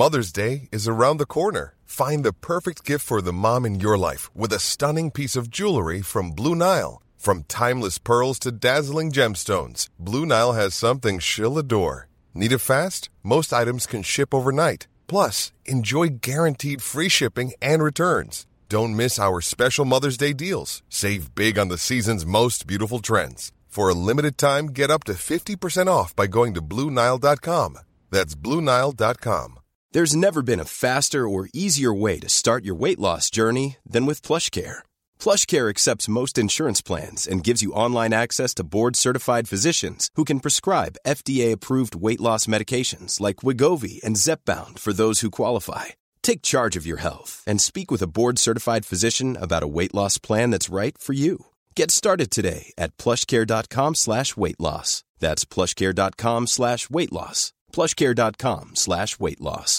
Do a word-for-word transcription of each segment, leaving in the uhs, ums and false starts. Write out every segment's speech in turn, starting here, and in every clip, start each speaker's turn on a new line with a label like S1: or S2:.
S1: Mother's Day is around the corner. Find the perfect gift for the mom in your life with a stunning piece of jewelry from Blue Nile. From timeless pearls to dazzling gemstones, Blue Nile has something she'll adore. Need it fast? Most items can ship overnight. Plus, enjoy guaranteed free shipping and returns. Don't miss our special Mother's Day deals. Save big on the season's most beautiful trends. For a limited time, get up to fifty percent off by going to Blue Nile dot com. That's Blue Nile dot com.
S2: There's never been a faster or easier way to start your weight loss journey than with PlushCare. PlushCare accepts most insurance plans and gives you online access to board-certified physicians who can prescribe F D A-approved weight loss medications like Wegovy and Zepbound for those who qualify. Take charge of your health and speak with a board-certified physician about a weight loss plan that's right for you. Get started today at plushcare.com slash weight loss. That's plushcare.com slash weight loss. plushcare.com slash weight loss.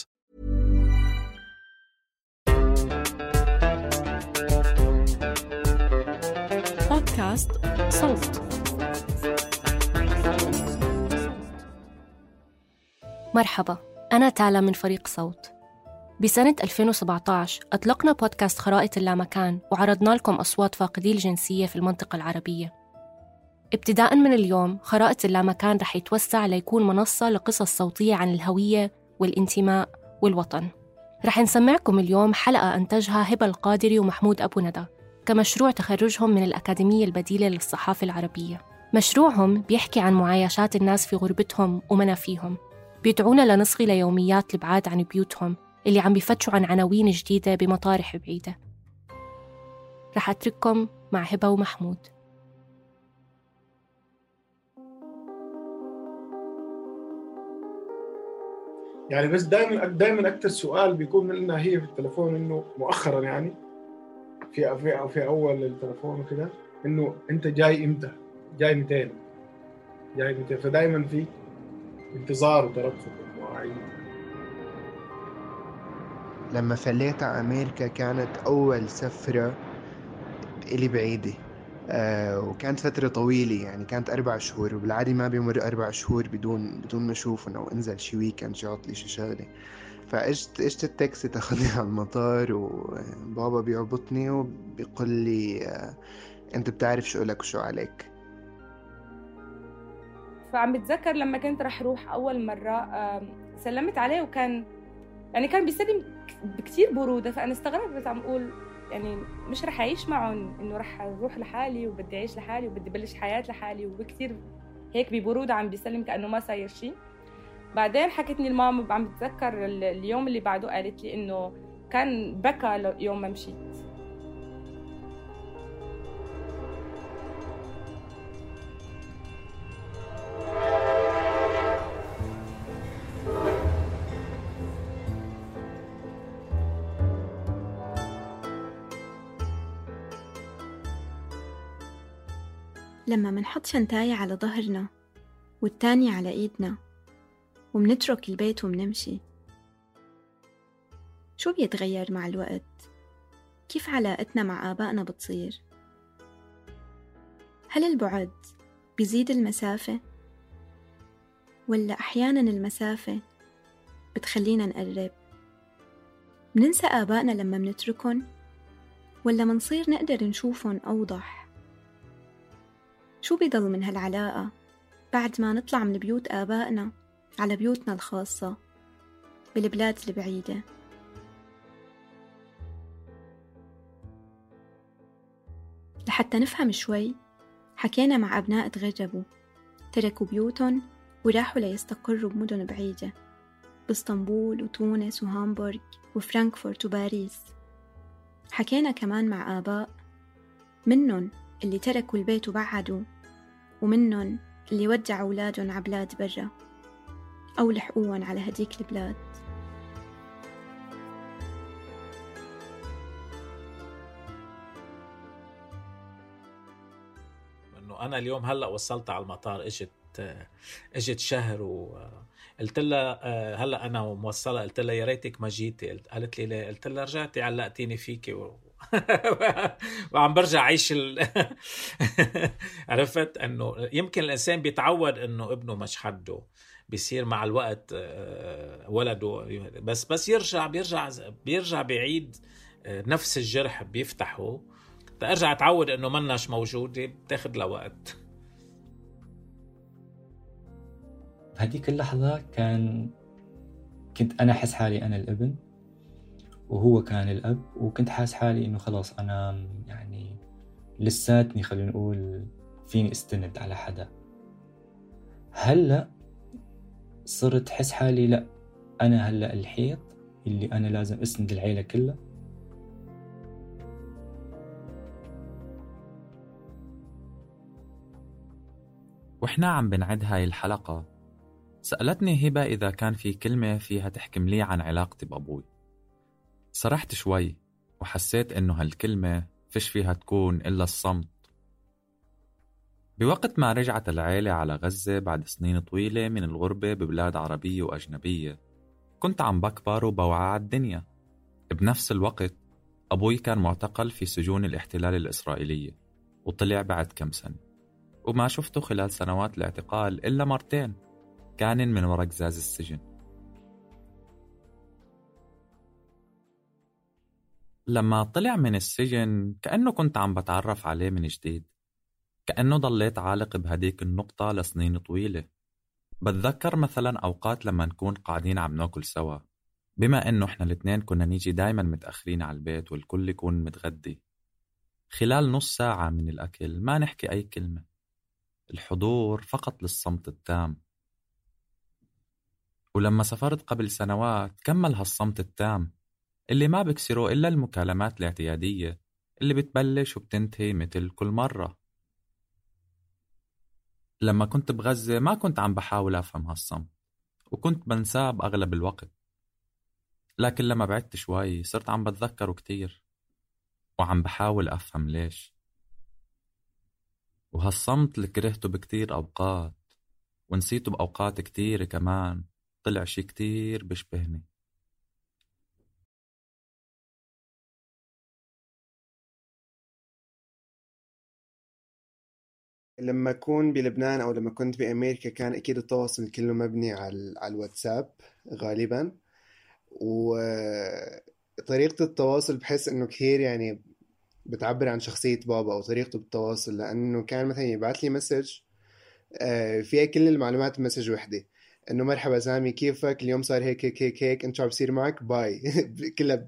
S3: بودكاست صوت. مرحبا، أنا تالا من فريق صوت. بسنة ألفين وسبعة عشر أطلقنا بودكاست خرائط اللامكان وعرضنا لكم أصوات فاقدي الجنسية في المنطقة العربية. ابتداءً من اليوم خرائط اللامكان رح يتوسع ليكون منصة لقصص صوتية عن الهوية والانتماء والوطن. رح نسمعكم اليوم حلقة أنتجها هبة القادري ومحمود أبو ندى كمشروع تخرجهم من الأكاديمية البديلة للصحافة العربية. مشروعهم بيحكي عن معايشات الناس في غربتهم ومنافيهم، بيدعونا لنصغي ليوميات البعاد عن بيوتهم اللي عم بيفتشوا عن عناوين جديدة بمطارح بعيدة. رح أترككم مع هبة ومحمود.
S4: يعني بس دائما دائما اكثر سؤال بيكون لنا هي في التليفون، انه مؤخرا يعني في في في اول التليفون وكذا، انه انت جاي امتى، جاي متين جاي متين فدائما في انتظار وترقب ومواعيد.
S5: لما فليت على أمريكا كانت أول سفرة إلي بعيدة، آه وكانت فترة طويلة، يعني كانت أربع شهور، وبالعادي ما بيمر أربع شهور بدون بدون ما أشوفهم أو أنزل شي ويكند شي عطلي شي شغلة. فإجت إجت التاكسي تاخذني على المطار، وبابا بيعبطني وبيقول لي آه أنت بتعرف شو لك وشو عليك.
S6: فعم بتذكر لما كنت رح روح أول مرة سلمت عليه، وكان يعني كان بيسلم بكتير برودة، فأنا استغربت عم أقول يعني مش رح أعيش معهم، إنه رح أروح لحالي وبدي أعيش لحالي وبدي بلش حياة لحالي، وبكتير هيك ببرودة عم بيسلم كأنه ما صاير شيء. بعدين حكتني الماما عم بتذكر اليوم اللي بعده قالت لي إنه كان بكى يوم ما مشيت.
S7: لما منحط شنطاية على ظهرنا والتانية على إيدنا ومنترك البيت ومنمشي، شو بيتغير مع الوقت؟ كيف علاقتنا مع آبائنا بتصير؟ هل البعد بيزيد المسافة؟ ولا أحياناً المسافة بتخلينا نقرب؟ مننسى آبائنا لما منتركن؟ ولا منصير نقدر نشوفن أوضح؟ شو بيضل من هالعلاقة بعد ما نطلع من بيوت آبائنا على بيوتنا الخاصة بالبلاد البعيدة؟ لحتى نفهم شوي حكينا مع أبناء تغربوا تركوا بيوتهم وراحوا ليستقروا بمدن بعيدة باسطنبول وتونس وهامبورغ وفرانكفورت وباريس. حكينا كمان مع آباء منن اللي تركوا البيت وبعدوا، ومنن اللي ودعوا أولادهم على بلاد برا أو لحقوهم على هديك البلاد.
S8: إنه أنا اليوم هلأ وصلت على المطار، إجت إجت شهر وقلت لها هلأ أنا موصلة، قلت لها يا ريتك ما جيتي، قالت لي ليه؟ قلت لها رجعتي علقتيني فيكي و... وعم برجع عيش ال... عرفت انه يمكن الانسان بيتعود انه ابنه مش حده، بيصير مع الوقت ولده بس بس يرجع بيرجع بيرجع بيعيد نفس الجرح بيفتحه ترجع تعود انه مناش موجوده بتاخد له وقت.
S9: بهديك اللحظه كان كنت انا احس حالي انا الابن وهو كان الاب، وكنت حاس حالي انه خلاص انا يعني لساتني خلينا نقول فيني استند على حدا. هلا صرت حس حالي لا انا هلا الحيط اللي انا لازم اسند العيله كلها.
S10: وإحنا عم بنعد هاي الحلقة سألتني هبة إذا كان في كلمة فيها تحكم لي عن علاقتي بأبوي. سرحت شوي وحسيت إنه هالكلمة فيش فيها تكون إلا الصمت. بوقت ما رجعت العيلة على غزة بعد سنين طويلة من الغربة ببلاد عربية وأجنبية كنت عم بكبر وبوعى على الدنيا. بنفس الوقت أبوي كان معتقل في سجون الاحتلال الإسرائيلية وطلع بعد كم سنة، وما شفته خلال سنوات الاعتقال إلا مرتين كان من وراء قزاز السجن. لما طلع من السجن كأنه كنت عم بتعرف عليه من جديد، كأنه ضليت عالق بهديك النقطة لسنين طويلة. بتذكر مثلا أوقات لما نكون قاعدين عم ناكل سوا، بما إنه إحنا الاثنين كنا نيجي دايما متأخرين على البيت والكل يكون متغدي. خلال نص ساعة من الأكل ما نحكي أي كلمة، الحضور فقط للصمت التام. ولما سافرت قبل سنوات كمل هالصمت التام اللي ما بكسره إلا المكالمات الاعتيادية اللي بتبلش وبتنتهي مثل كل مرة. لما كنت بغزة ما كنت عم بحاول أفهم هالصمت وكنت بنساه بأغلب الوقت، لكن لما بعدت شوي صرت عم بتذكره كتير وعم بحاول أفهم ليش. وهالصمت اللي كرهته بكتير أوقات ونسيته بأوقات كتير كمان طلع شي كتير بشبهني.
S5: لما أكون بلبنان أو لما كنت بأمريكا كان أكيد التواصل كله مبني على على الواتساب غالبا، وطريقة التواصل بحس إنه كثير يعني بتعبر عن شخصية بابا أو طريقته بالتواصل، لأنه كان مثلا يبعث لي مسج فيها كل المعلومات بمسج وحدة، إنه مرحبا سامي كيفك اليوم صار هيك هيك هيك هيك أنت شو بصير معك باي كلها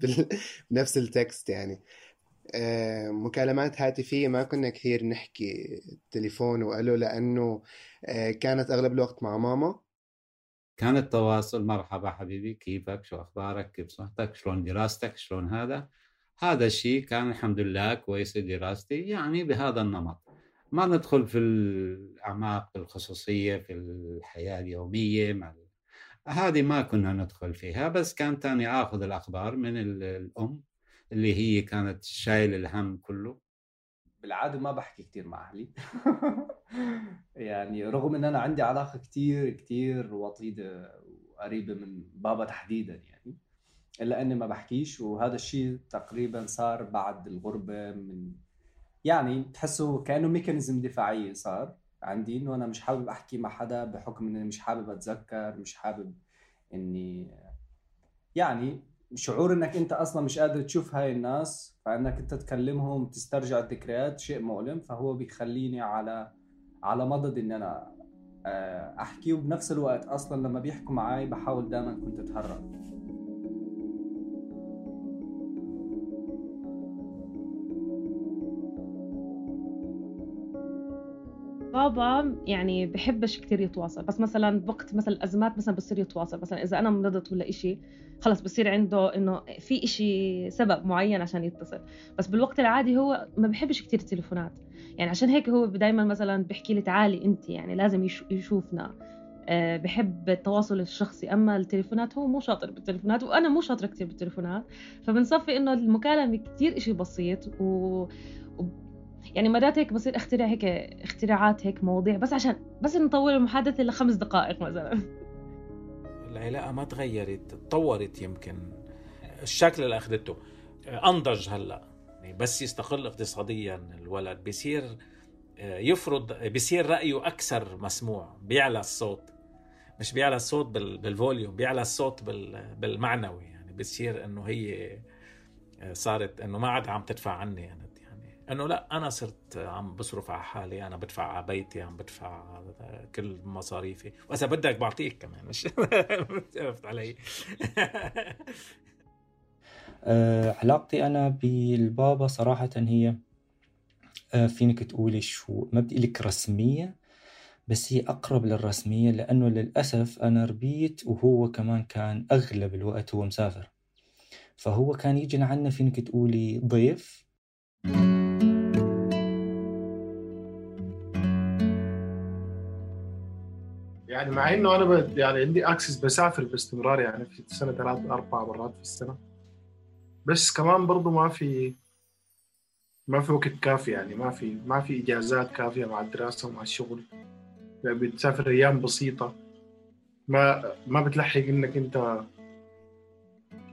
S5: بنفس التكست. يعني مكالمات هاتفية ما كنا كثير نحكي تليفون وقالوا، لأنه كانت أغلب الوقت مع ماما.
S11: كان التواصل مرحبا حبيبي كيفك شو أخبارك كيف صحتك شلون دراستك شلون هذا هذا الشيء كان الحمد لله كويس. دراستي يعني بهذا النمط، ما ندخل في الأعماق الخصوصية في الحياة اليومية مع هذه ما كنا ندخل فيها، بس كان تاني أخذ الأخبار من الأم اللي هي كانت شايل الهم كله.
S12: بالعادة ما بحكي كتير مع أهلي يعني رغم أن أنا عندي علاقة كتير كتير وطيدة وقريبة من بابا تحديدا يعني، إلا أني ما بحكيش. وهذا الشيء تقريبا صار بعد الغربة، من يعني تحسه كأنه ميكانيزم دفاعي صار عندي، إنه أنا مش حابب أحكي مع حدا بحكم إني مش حابب أتذكر، مش حابب إني يعني شعور إنك أنت أصلا مش قادر تشوف هاي الناس، فإنك أنت تكلمهم تسترجع الذكريات شيء مؤلم، فهو بيخليني على على مضض إن أنا أحكي. وبنفس الوقت أصلا لما بيحكوا معاي بحاول دائما كنت أتهرب.
S13: بابا يعني بحبش كتير يتواصل، بس مثلا بوقت مثلا الأزمات مثلا بصير يتواصل، مثلا إذا أنا مرضت ولا إشي خلص بصير عنده إنه في إشي سبب معين عشان يتصل. بس بالوقت العادي هو ما بحبش كتير التليفونات، يعني عشان هيك هو دايما مثلا بحكي لي تعالي أنت، يعني لازم يشوفنا. أه بحب التواصل الشخصي، أما التليفونات هو مو شاطر بالتليفونات وأنا مو شاطرة كتير بالتليفونات، فبنصفي إنه المكالمة كتير إشي بسيط. و يعني مرات هيك بصير اخترع هيك اختراعات هيك مواضيع بس عشان بس نطول المحادثة لخمس دقائق مثلا.
S8: العلاقة ما تغيرت، تطورت، يمكن الشكل اللي أخذته أنضج هلأ. يعني بس يستقل اقتصاديا الولد بيصير يفرض، بيصير رأيه أكثر مسموع، بيعلى الصوت، مش بيعلى الصوت بالفوليوم، بيعلى الصوت بالمعنوي. يعني بتصير انه هي صارت انه ما عاد عم تدفع عني يعني, يعني انه لا انا صرت عم بصرف على حالي، انا بدفع على بيتي، عم بدفع كل مصاريفي، واذا بدك بعطيك كمان مش عرفت علي.
S9: أه علاقتي انا بالبابا صراحة هي أه فينك تقولي شو، ما بدي لك رسمية بس هي أقرب للرسمية، لأنه للأسف أنا ربيت وهو كمان كان أغلب الوقت هو مسافر، فهو كان يجي لعنا فينك تقولي ضيف.
S4: يعني مع إنه أنا ب... يعني عندي أكسس بسافر باستمرار يعني في السنة ثلاث أربع مرات في السنة، بس كمان برضو ما في ما في وقت كافي، يعني ما في ما في إجازات كافية مع الدراسة ومع الشغل، يعني بتسافر أيام بسيطة، ما ما بتلحق إنك أنت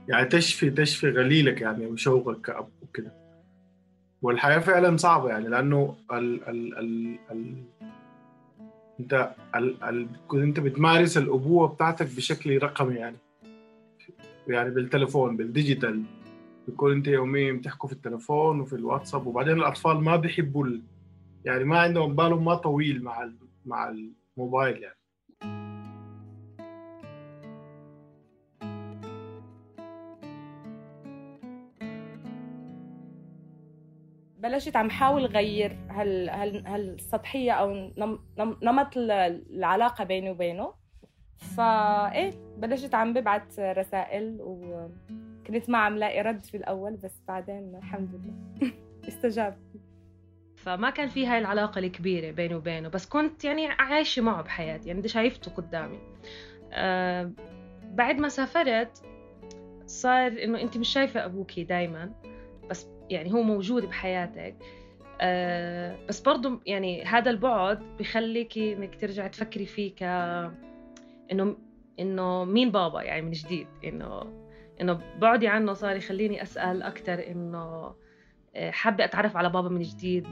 S4: يعني تشفي تشفي غليلك يعني وشوقك كأب وكده. والحياة فعلا صعبة يعني، لأنه ال ال ال ال أنت ال ال أنت بتمارس الأبوة بتاعتك بشكل رقمي يعني يعني بالتلفون بالديجيتال، بيكون أنت يوميا بتحكوا في التلفون وفي الواتساب، وبعدين الأطفال ما بيحبوا ال... يعني ما عندهم بالهم ما طويل مع ال... مع الموبايل يعني.
S6: بلشت عم حاول غير هال هال هالسطحيه او نم... نم... نمط العلاقه بيني وبينه. فايه بلشت عم ببعت رسائل وكنت ما عم لاقي رد في الاول، بس بعدين الحمد لله استجاب.
S13: فما كان في هاي العلاقه الكبيره بيني وبينه، بس كنت يعني عايشه معه بحياتي، يعني شايفته قدامي. أه بعد ما سافرت صار انه انت مش شايفه ابوكي دايما، بس يعني هو موجود بحياتك. أه بس برضو يعني هذا البعد بيخليكي انك ترجع تفكري فيه ك انه انه مين بابا يعني من جديد، انه انه بعدي عنه صار يخليني اسال اكثر، انه حابه اتعرف على بابا من جديد.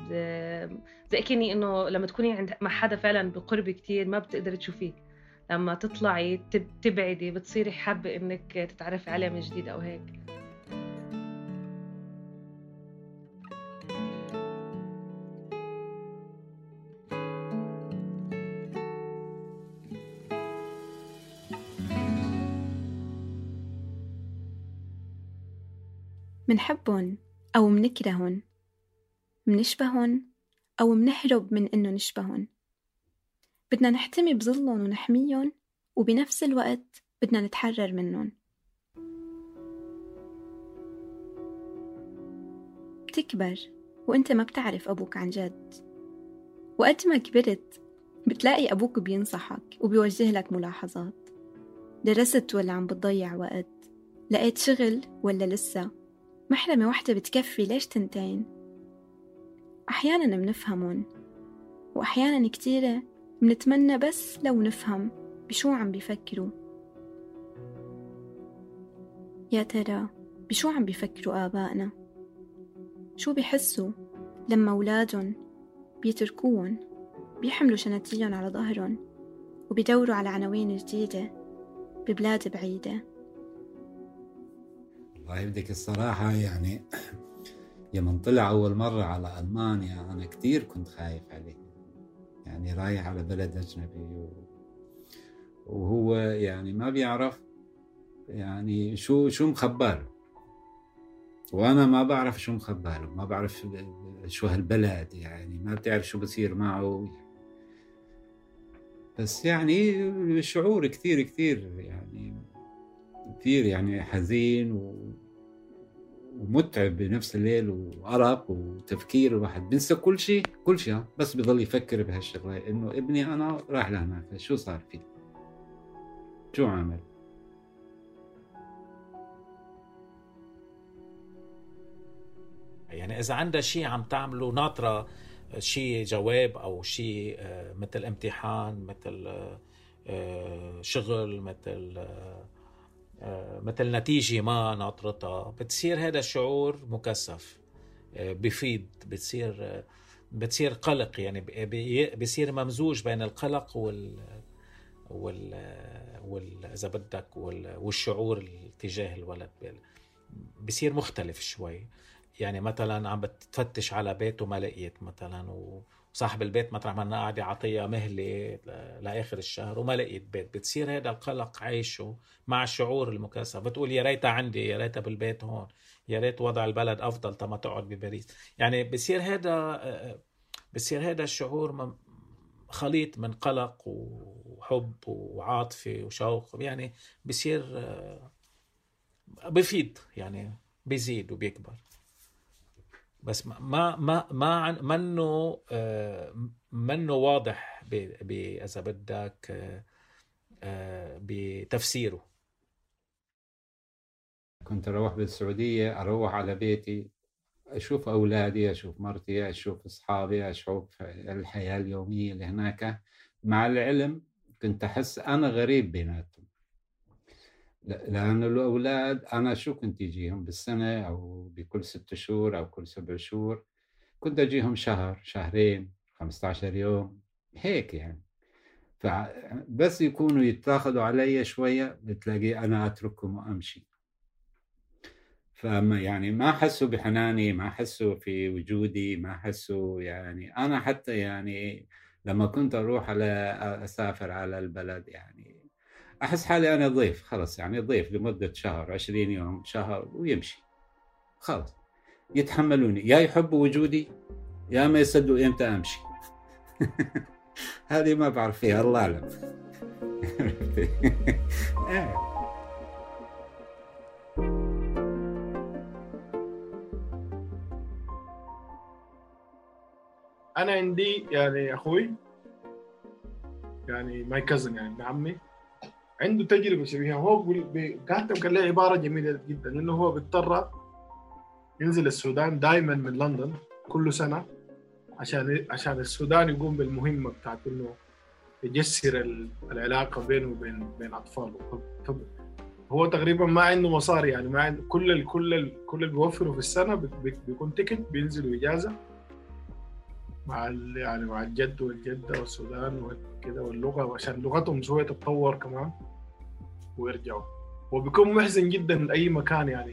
S13: زي كني انه لما تكوني عند مع حدا فعلا بقرب كتير ما بتقدر تشوفيه، لما تطلعي تبعدي بتصيري حابه انك تتعرفي عليه من جديد او هيك.
S7: منحبهن أو منكرهن، منشبهن أو منهرب من إنه نشبهن، بدنا نحتمي بظلهم ونحميهم، وبنفس الوقت بدنا نتحرر منهم. بتكبر وإنت ما بتعرف أبوك عن جد، وقت ما كبرت بتلاقي أبوك بينصحك وبيوجه لك ملاحظات. درست ولا عم بتضيع وقت؟ لقيت شغل ولا لسه؟ محرمة واحدة بتكفي ليش تنتين؟ أحياناً منفهمون، وأحياناً كتيرة منتمنى بس لو نفهم بشو عم بيفكروا. يا ترى بشو عم بيفكروا آبائنا؟ شو بيحسوا لما أولادهم بيتركوهم بيحملوا شناتيهم على ظهرهم وبيدوروا على عناوين جديدة ببلاد بعيدة؟
S11: الله يبدك الصراحة يعني يوم طلع أول مرة على ألمانيا أنا كتير كنت خايف عليه، يعني رايح على بلد أجنبي وهو يعني ما بيعرف يعني شو شو مخباله، وأنا ما بعرف شو مخباله، ما بعرف شو هالبلد، يعني ما بتعرف شو بصير معه. بس يعني شعور كتير كتير يعني كتير يعني حزين و... ومتعب بنفس الليل، وأرق وتفكير، الواحد بنسى كل شيء كل شيء بس بيضل يفكر بهالشغلة إنه ابني أنا راح لهناك شو صار فيه، شو عمل.
S8: يعني إذا عنده شيء عم تعمله ناطرة، شيء جواب أو شيء مثل امتحان، مثل شغل، مثل مثل نتيجة ما ناطرتها، بتصير هذا الشعور مكثف، بفيد، بتصير بتصير قلق، يعني بيصير ممزوج بين القلق وال وال وال اذا بدك وال... والشعور تجاه الولد بصير مختلف شوي. يعني مثلا عم بتفتش على بيت وما لقيت مثلا، وصاحب البيت مطرح ما قاعد يعطيها مهلة لاخر الشهر وما لقيت بيت، بتصير هذا القلق عايشه مع الشعور المكاسب. بتقول يا ريتها عندي، يا ريتها بالبيت هون، يا ريت وضع البلد افضل تما تقعد بباريس. يعني بصير هذا بصير هذا الشعور خليط من قلق وحب وعاطفة وشوق، يعني بصير بفيد، يعني بيزيد وبيكبر. بس ما ما ما منه منه واضح ب إذا بدك بتفسيره.
S11: كنت أروح بالسعودية، أروح على بيتي أشوف أولادي، أشوف مرتي، أشوف أصحابي، أشوف الحياة اليومية اللي هناك. مع العلم كنت أحس أنا غريب بيناتهم، لأن الأولاد أنا شو كنت أجيهم بالسنة أو بكل ست شهور أو كل سبع شهور، كنت أجيهم شهر شهرين خمسة عشر يوم هيك يعني. فبس يكونوا يتاخدوا علي شوية بتلاقي أنا أتركهم وأمشي. فما يعني ما حسوا بحناني، ما حسوا في وجودي، ما حسوا يعني. أنا حتى يعني لما كنت أروح على أسافر على البلد يعني أحس حالي أنا ضيف، خلص يعني ضيف لمدة شهر عشرين يوم شهر ويمشي خلص. يتحملوني، يا يحبوا وجودي يا ما يصدقوا إمتى أمشي. هذه ما بعرف فيها، الله أعلم.
S4: أنا عندي يعني أخوي يعني ماي كازن يعني ابن عمي عنده تجربة شبيهة. هو قعدت كان له عبارة جميلة جدا، إنه هو بيضطر ينزل السودان دائما من لندن كل سنة عشان عشان السودان يقوم بالمهمة بتاعت إنه يجسر العلاقة بينه وبين بين أطفاله. هو تقريبا ما عنده مصاري يعني، ما عنده كل ال كل ال كل اللي بيوفره في السنة بيكون تيكت بينزلوا إجازة مع يعني مع الجد والجدة والسودان وكذا واللغة، عشان لغتهم شوية تتطور كمان ويرجعوا. وبيكون محزن جدا لأي مكان يعني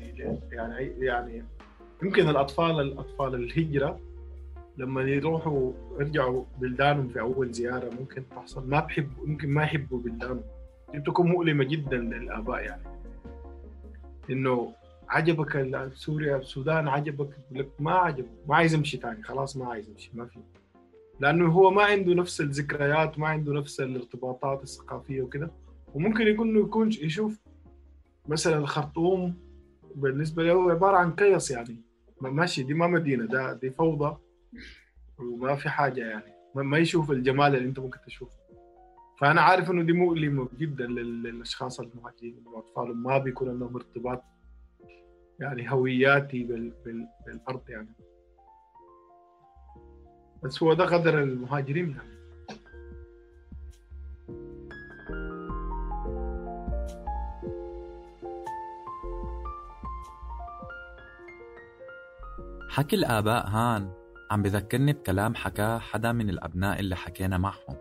S4: يعني يعني يمكن الأطفال الأطفال الهجرة لما يروحوا يرجعوا بلدانهم في أول زيارة ممكن تحصل ما بحبوا، يمكن ما يحبوا بلدانهم. دي تكون مؤلمة جدا للآباء يعني، إنه عجبك سوريا السودان عجبك لك ما عجب ما عايز يمشي تاني خلاص ما عايز يمشي ما في، لأنه هو ما عنده نفس الذكريات ما عنده نفس الارتباطات الثقافية وكده. وممكن يكون يكون يشوف مثلا الخرطوم بالنسبة له عبارة عن كيس يعني ماشي، دي ما مدينة، ده دي فوضى وما في حاجة يعني، ما يشوف الجمال اللي انت ممكن تشوفه. فأنا عارف إنه دي مؤلمة جدا للأشخاص المهاجرين والأطفال، ما بيكون لهم ارتباط يعني هوياتي بال... بال... بالأرض يعني. بس هو ده قدر المهاجرين يعني.
S10: حكي الآباء هان عم بذكرني بكلام حكاه حدا من الأبناء اللي حكينا معهم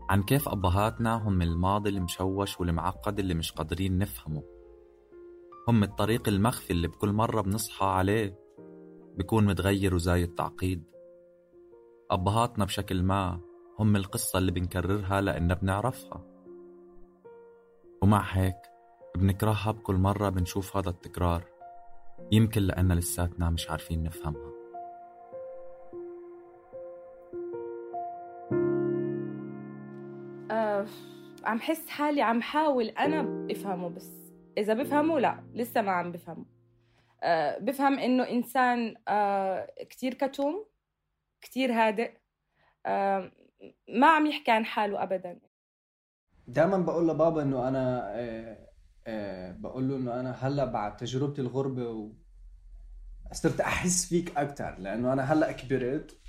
S10: عن كيف أبهاتنا هم الماضي المشوش والمعقد اللي مش قادرين نفهمه، هم الطريق المخفي اللي بكل مرة بنصحى عليه بيكون متغير وزايد تعقيد. أبهاتنا بشكل ما هم القصة اللي بنكررها لأننا بنعرفها، ومع هيك بنكرهها بكل مرة بنشوف هذا التكرار، يمكن لأننا لساتنا مش عارفين نفهمها.
S6: أه عم حس حالي عم حاول أنا بفهمه، بس إذا بفهمه لا لسه ما عم بفهمه. أه بفهم إنه إنسان أه كتير كتوم كتير هادئ، أه ما عم يحكي عن حاله أبدا.
S12: دائما بقول لبابا إنه أنا أه أه بقول له إنه أنا هلأ بعد تجربتي الغربة و... صرت أحس فيك أكتر، لأنه أنا هلأ كبرت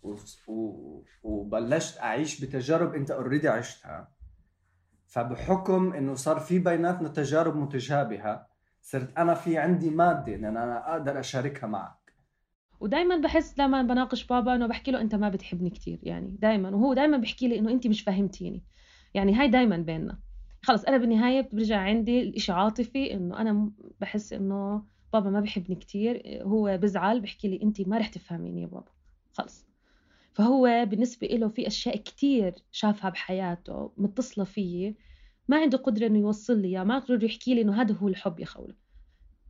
S12: و... و... وبلشت أعيش بتجارب أنت أوريدي عشتها، فبحكم إنه صار في بيناتنا تجارب متشابهة صرت أنا في عندي مادة إن أنا أقدر أشاركها معك.
S13: ودايما بحس لما بناقش بابا إنه بحكي له أنت ما بتحبني كتير يعني دايما، وهو دايما بحكي لي إنه أنت مش فاهمتيني. يعني هاي دايما بيننا. خلص أنا بالنهاية برجع عندي الإشي عاطفي، إنه أنا بحس إنه بابا ما بيحبني كتير، هو بزعل بحكي لي أنتي ما رح تفهميني يا بابا خلص. فهو بالنسبة له في أشياء كتير شافها بحياته متصلة فيه، ما عنده قدرة إنه يوصل لي، ما قدر يحكي لي إنه هذا هو الحب يا خولة.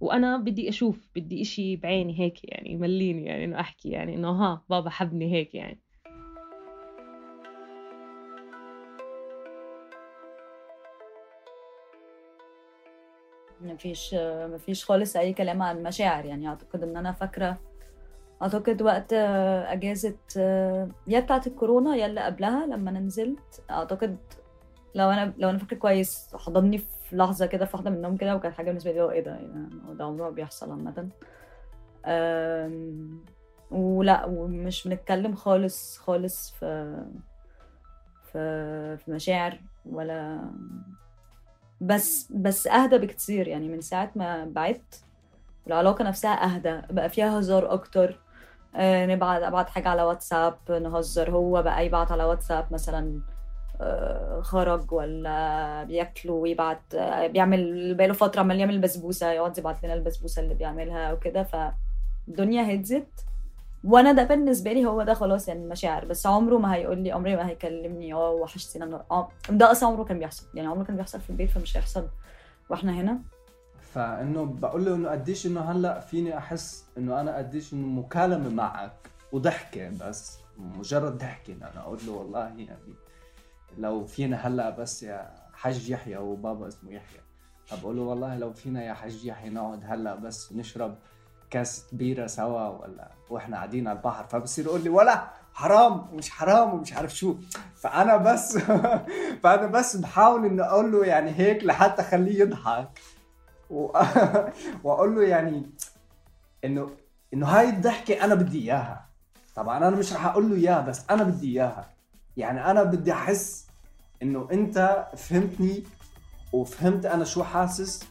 S13: وأنا بدي أشوف، بدي إشي بعيني هيك يعني يمليني، يعني إنه أحكي يعني إنه ها بابا حبني هيك يعني.
S14: ما فيش ما فيش خالص أي كلام عن مشاعر. يعني أعتقد إن أنا فاكرة، أعتقد وقت أجازة يا بتاعة الكورونا يا اللي قبلها لما أنا نزلت، أعتقد لو أنا لو أنا فاكرة كويس حضني في لحظة كده في واحدة من النوم كده، وكانت حاجة بالنسبة لي إيه ده يعني ده عمره ما بيحصل عامة. ولا ومش بنتكلم خالص خالص في في في مشاعر ولا، بس بس أهدى بكتير يعني من ساعة ما بعدت. العلاقة نفسها أهدى، بقى فيها هزار أكتر. أه نبعت أبعت حاجة على واتساب نهزر، هو بقى يبعت على واتساب مثلا أه خرج ولا بياكلوا ويبعت، أه بيعمل بقاله فترة عمال يعمل بسبوسة، يقعد يبعت لنا البسبوسة اللي بيعملها وكده. فالدنيا هدزت، وانا ده بالنسبه لي هو ده خلاص يعني المشاعر. بس عمره ما هيقول لي، عمري ما هيكلمني اه وحشتينا النهار، اه ده اصلا عمره كان بيحصل، يعني عمره كان بيحصل في البيت، فمش هيحصل واحنا هنا.
S12: فانه بقول له انه قديش انه هلا فيني احس انه انا قديش انه مكالمه معك وضحكه، بس مجرد ضحكه انا اقول له والله يعني لو فينا هلا بس يا حاج يحيى، وبابا اسمه يحيى، بقول له والله لو فينا يا حاج يحيى نقعد هلا بس نشرب كاس بيرة سوا ولا واحنا قاعدين على البحر، فبصير يقول لي ولا حرام ومش حرام ومش عارف شو. فانا بس فانا بس بحاول اني اقول له يعني هيك لحتى اخليه يضحك و... واقول له يعني انه انه هاي الضحكه انا بدي اياها. طبعا انا مش رح اقول له اياها، بس انا بدي اياها. يعني انا بدي احس انه انت فهمتني وفهمت انا شو حاسس.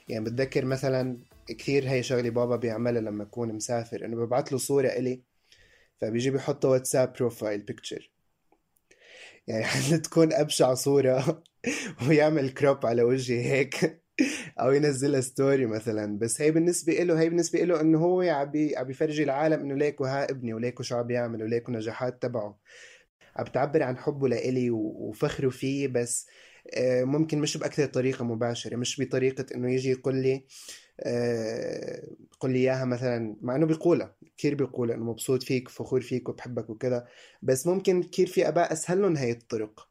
S5: يعني بتذكر مثلا كثير هاي شغلي بابا بيعملها لما يكون مسافر، انه ببعث له صورة إلي فبيجي بيحط واتساب بروفايل بيكتشر، يعني حتى تكون أبشع صورة ويعمل كروب على وجهي هيك او ينزلها ستوري مثلا. بس هي بالنسبة له هي بالنسبة له انه هو عبي عبي يفرجي العالم انه ليكو ها ابني وليكو شو عم يعمل وليكو نجاحات تبعه، عم تعبر عن حبه لإلي وفخره فيه. بس ممكن مش بأكثر طريقة مباشرة، مش بطريقة إنه يجي يقول لي أه قل لي إياها مثلا، مع إنه بيقولها كثير، بيقول إنه مبسوط فيك فخور فيك وبحبك وكذا. بس ممكن كثير في آباء أسهل لهم هاي الطرق،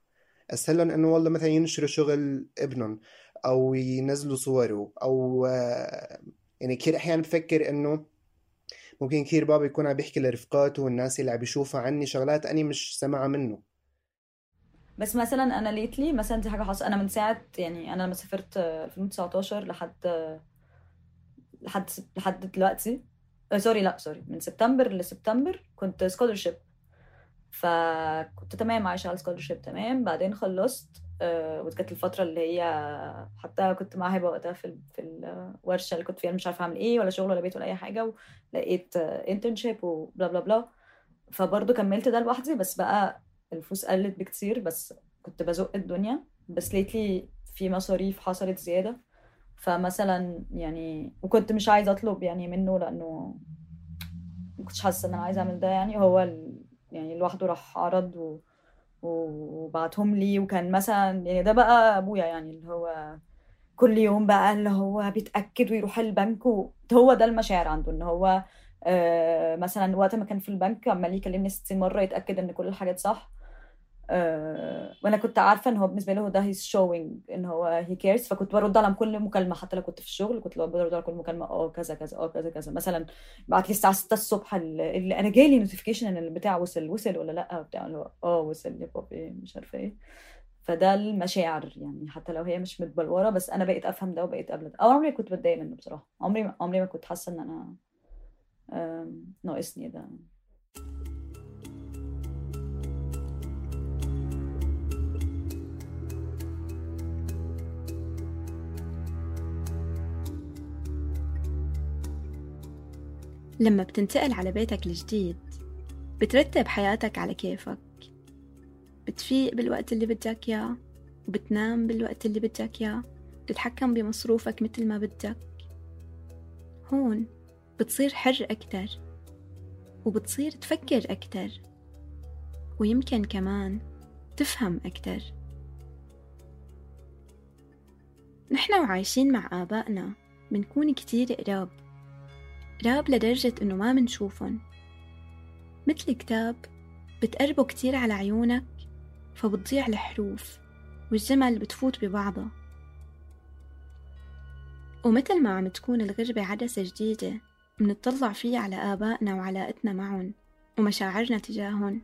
S5: أسهل لهم إنه والله مثلا ينشروا شغل ابنهم أو ينزلوا صوره، أو أه يعني كثير أحيانا بفكر إنه ممكن كثير بابا يكون عم بيحكي لرفقاته والناس اللي عم بيشوفوا عني شغلات أني مش سمعها منه.
S14: بس مثلا انا ليتلي مثلا دي حاجه حصل، انا من ساعه يعني انا لما سافرت ألفين وتسعتاشر لحد لحد لحد دلوقتي آه سوري لا سوري من سبتمبر لسبتمبر كنت سكولرشيب، فكنت تمام عايشه على سكولرشيب تمام. بعدين خلصت آه وكانت الفتره اللي هي حتى كنت مع هبه وقتها في في الورشه اللي كنت فيها، مش عارفه اعمل ايه ولا شغل ولا بيت ولا اي حاجه، ولقيت انترنشيب وبلا بلا بلا، فبرضه كملت ده لوحدي. بس بقى الفلوس قلت بكتير، بس كنت بزق الدنيا. بس ليتلي في مصاريف حصلت زيادة، فمثلا يعني وكنت مش عايزة أطلب يعني منه لأنه ما كنتش حاسة إن أنا عايزة أعمل ده. يعني هو ال... يعني لوحده راح عرض و... وبعتهم لي، وكان مثلا يعني ده بقى أبويا يعني اللي هو كل يوم بقى اللي هو بيتأكد ويروح البنك و... هو ده المشاعر عنده، إن هو آه مثلا وقت ما كان في البنك عمال يكلمني ستين مرة يتأكد ان كل الحاجات صح. آه وانا كنت عارفة ان هو بالنسبة له ده he's showing ان هو he cares، فكنت برد على كل مكالمة حتى لو كنت في الشغل، كنت برد على كل مكالمة اه كذا كذا اه كذا كذا. مثلا بعت لي الساعة ستة الصبح اللي انا جاي لي نوتيفيكيشن ان البتاع وصل وصل ولا لا بتاع اللي هو اه وصل يا بابي مش عارفة ايه. فده المشاعر يعني حتى لو هي مش متبلورة، بس انا بقيت افهم ده وبقيت قبل ده. او عمري كنت بتضايق منه بصراحة، عمري عمري ما كنت حاسة ان انا ناقصني ده.
S7: لما بتنتقل على بيتك الجديد بترتب حياتك على كيفك، بتفيق بالوقت اللي بدك إياه وبتنام بالوقت اللي بدك إياه، بتتحكم بمصروفك مثل ما بدك. هون بتصير حر أكتر وبتصير تفكر أكتر، ويمكن كمان تفهم أكتر. نحن وعايشين مع آبائنا منكون كتير قراب، قراب لدرجة إنه ما منشوفن. مثل كتاب بتقربه كتير على عيونك فبتضيع الحروف والجمل بتفوت ببعضها. ومثل ما عم تكون الغربة عدسة جديدة منطلع فيها على آبائنا وعلاقتنا معهم ومشاعرنا تجاههم،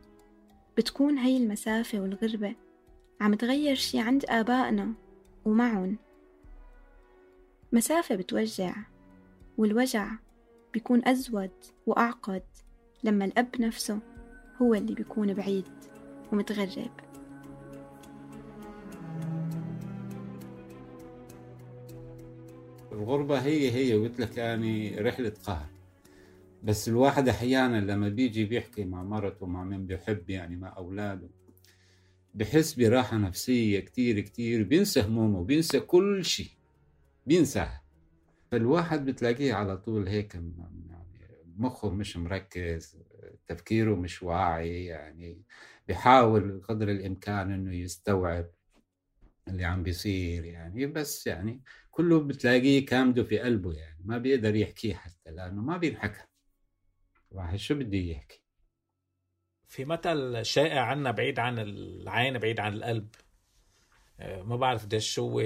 S7: بتكون هاي المسافة والغربة عم تغير شي عند آبائنا ومعهم. مسافة بتوجع، والوجع بيكون أزود وأعقد لما الأب نفسه هو اللي بيكون بعيد ومتغرب.
S11: الغربة هي هي قلت لك يعني رحلة قهر. بس الواحد أحيانا لما بيجي بيحكي مع مرته ومع من بيحب يعني مع أولاده بحس براحة نفسية كتير كتير، بينسى همومه وبينسى كل شيء، بينساها. فالواحد بتلاقيه على طول هيك يعني مخه مش مركز، تفكيره مش واعي، يعني بيحاول قدر الإمكان إنه يستوعب اللي عم بيصير يعني، بس يعني كله بتلاقيه كامده في قلبه، يعني ما بيقدر يحكيه حتى لأنه ما بينحكى. واحد شو بدي يحكي؟
S8: في مثل شائع عنا بعيد عن العين بعيد عن القلب، ما بعرف ده شو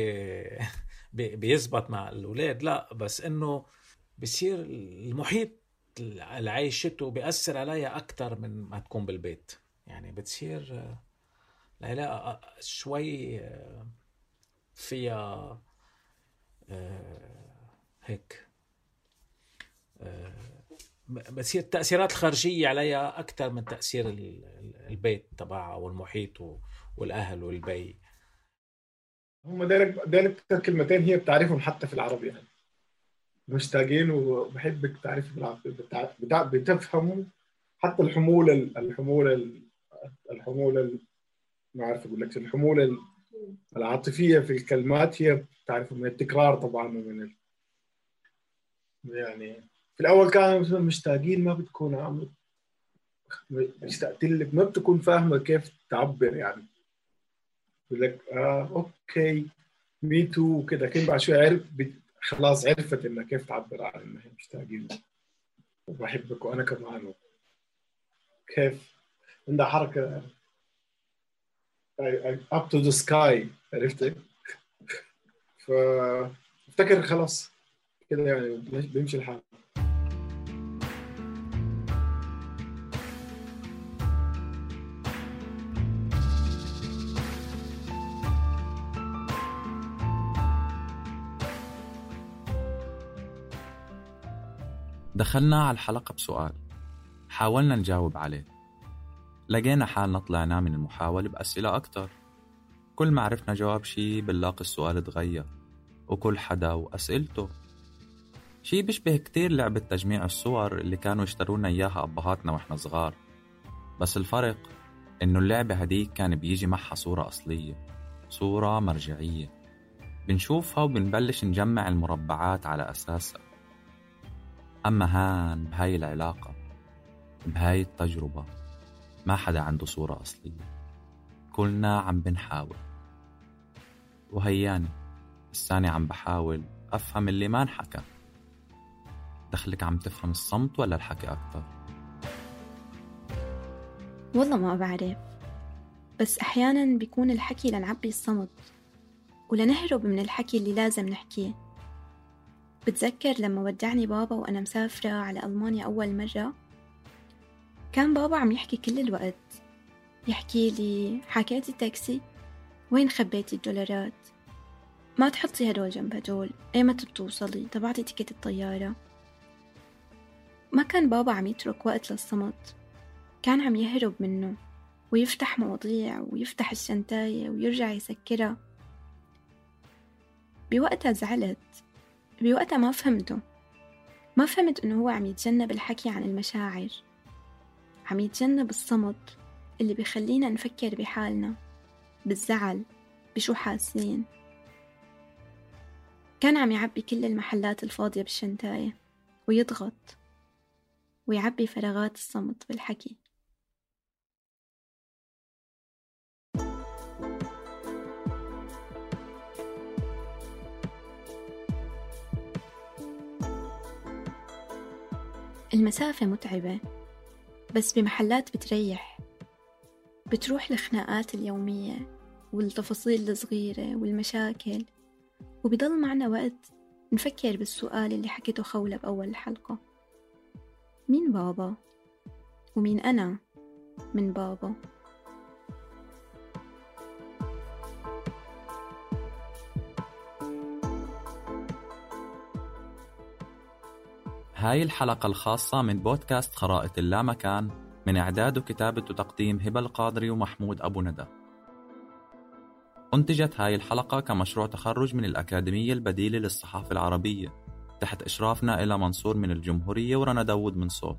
S8: بيزبط مع الأولاد، لا بس إنه بصير المحيط اللي عايشته بيأثر عليها أكتر من ما تكون بالبيت. يعني بتصير العلاقة شوي فيها هيك بتصير التأثيرات الخارجية عليها أكتر من تأثير البيت تبعها والمحيط والأهل والبي.
S4: هم دايلك دايلك كلمتين هي بتعرفهم حتى في العربي، يعني مشتاقين وبحبك تعرف بالعربي، بتع... بتفهموا حتى الحمولة الحمولة الحمولة ما عارف أقول لك الحمولة العاطفية في الكلمات هي بتعرف من التكرار طبعا، ومن ال... يعني في الأول كانوا مشتاقين ما بتكون عم مشتاقت لك، ما بتكون فاهمة كيف تعبر، يعني يقول لك آه أوكي مي تو وكذا، كل بعد شوي عرف بت... خلاص عرفت إنها كيف تعبر عن إنها مشتاقين وبحبك وأنا كمان، كيف عندها حركة up to the sky، عرفت؟ فافتكر خلاص كده يعني بيمشي الحال.
S10: دخلنا على الحلقة بسؤال حاولنا نجاوب عليه، لقينا حالنا طلعنا من المحاولة بأسئلة أكتر. كل ما عرفنا جواب شي بنلاقي السؤال تغير، وكل حدا وأسئلته. شي بيشبه كتير لعبة تجميع الصور اللي كانوا يشترونا إياها أبهاتنا وإحنا صغار، بس الفرق إنه اللعبة هديك كان بيجي معها صورة أصلية، صورة مرجعية بنشوفها وبنبلش نجمع المربعات على أساسها. أما هان بهاي العلاقة بهاي التجربة ما حدا عنده صورة أصلية، كلنا عم بنحاول. وهياني الثاني عم بحاول أفهم اللي ما انحكى. دخلك عم تفهم الصمت ولا الحكي أكتر؟
S7: والله ما بعرف، بس أحيانا بيكون الحكي لنعبي الصمت ولنهرب من الحكي اللي لازم نحكيه. بتذكر لما ودعني بابا وأنا مسافرة على ألمانيا أول مرة، كان بابا عم يحكي كل الوقت، يحكي لي حكيتي التاكسي؟ وين خبيتي الدولارات؟ ما تحطي هدول جنب هدول، ايمتى بتوصلي؟ تبعتي تيكت الطيارة؟ ما كان بابا عم يترك وقت للصمت، كان عم يهرب منه ويفتح مواضيع ويفتح الشنتاية ويرجع يسكرها. بوقتها زعلت، بوقتها ما فهمته، ما فهمت إنه هو عم يتجنب الحكي عن المشاعر، عم يتجنب الصمت اللي بيخلينا نفكر بحالنا، بالزعل، بشو حاسين. كان عم يعبي كل المحلات الفاضية بالشنتاية ويضغط ويعبي فراغات الصمت بالحكي. المسافة متعبة، بس بمحلات بتريح، بتروح الخناقات اليومية والتفاصيل الصغيرة والمشاكل، وبيضل معنا وقت نفكر بالسؤال اللي حكيته خولة بأول الحلقة: مين بابا؟ ومين أنا من بابا؟
S10: هاي الحلقة الخاصة من بودكاست خرائط اللامكان، من إعداد وكتابة وتقديم هبة القادري ومحمود أبو ندى. أنتجت هاي الحلقة كمشروع تخرج من الأكاديمية البديلة للصحافة العربية تحت إشرافنا إلى منصور من الجمهورية ورنا داود من صوت.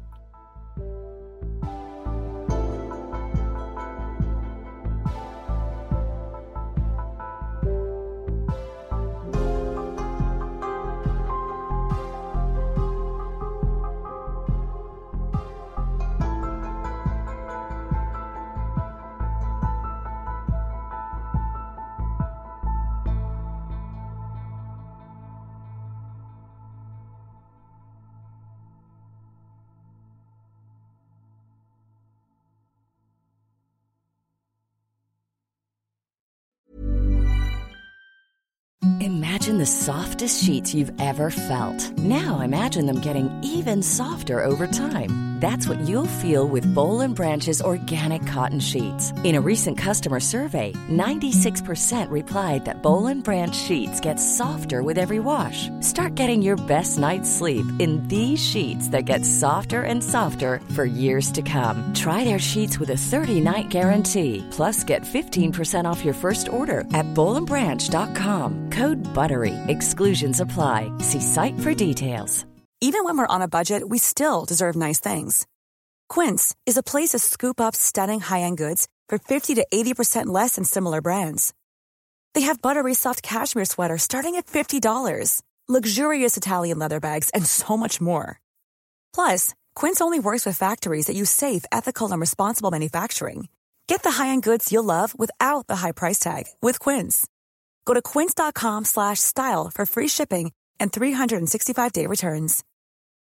S15: Imagine the softest sheets you've ever felt. Now imagine them getting even softer over time. That's what you'll feel with Boll and Branch's organic cotton sheets. In a recent customer survey, ninety-six percent replied that Boll and Branch sheets get softer with every wash. Start getting your best night's sleep in these sheets that get softer and softer for years to come. Try their sheets with a thirty-night guarantee. Plus, get fifteen percent off your first order at boll and branch dot com. Code BUTTERY. Exclusions apply. See site for details.
S16: Even when we're on a budget, we still deserve nice things. Quince is a place to scoop up stunning high-end goods for fifty to eighty percent less than similar brands. They have buttery soft cashmere sweaters starting at fifty dollars, luxurious Italian leather bags, and so much more. Plus, Quince only works with factories that use safe, ethical, and responsible manufacturing. Get the high-end goods you'll love without the high price tag with Quince. Go to quince dot com slash style for free shipping and three sixty-five day returns.